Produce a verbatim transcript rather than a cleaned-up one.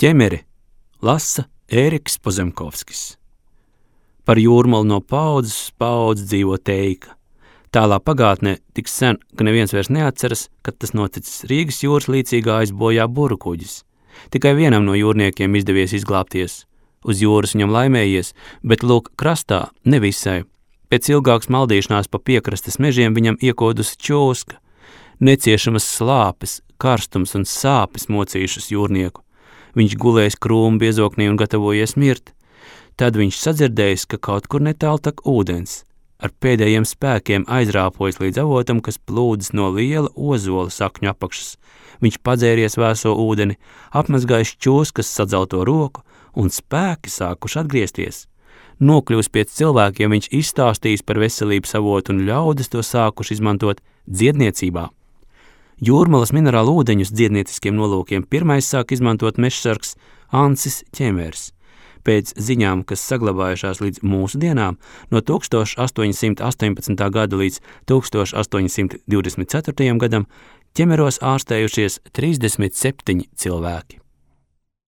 Ķemeri lasa Ēriks Pozemkovskis. Par Jūrmalu no paudzes uz paudzi dzīvo teika. Tālā pagātnē tik sen, ka neviens vairs neatceras, kad tas noticis. Rīgas jūras līcīgā aizbojā buru kuģis. Tikai vienam no jūrniekiem izdevies izglābties. Uz jūras viņam laimējies, bet lūk krastā ne visai. Pēc ilgākas maldīšanās pa piekrastes mežiem viņam iekodusi čūska. Neciešamas slāpes, karstums un sāpes mocījušas jūrnieku. Viņš gulējis krūmu biezoknī un gatavojies mirt. Tad viņš sadzirdējis, ka kaut kur netālu tak ūdens. Ar pēdējiem spēkiem aizrāpojas līdz avotam, kas plūdas no liela ozola sakņu apakšas. Viņš padzēries vēso ūdeni, apmazgājis čūskas sadzelto roku un spēki sākuši atgriezties. Nokļūs pie cilvēkiem, viņš izstāstījis par veselības avotu un ļaudis to sākuši izmantot dziedniecībā. Jūrmalas minerālu ūdeņus dziednieciskiem nolūkiem pirmais sāk izmantot mežsargs Ancis Ķemers. Pēc ziņām, kas saglabājušās līdz mūsu dienām, no tūkstoš astoņi simti astoņpadsmitā gada līdz tūkstoš astoņi simti divdesmit ceturtajam gadam Ķemeros ārstējušies trīsdesmit septiņi cilvēki.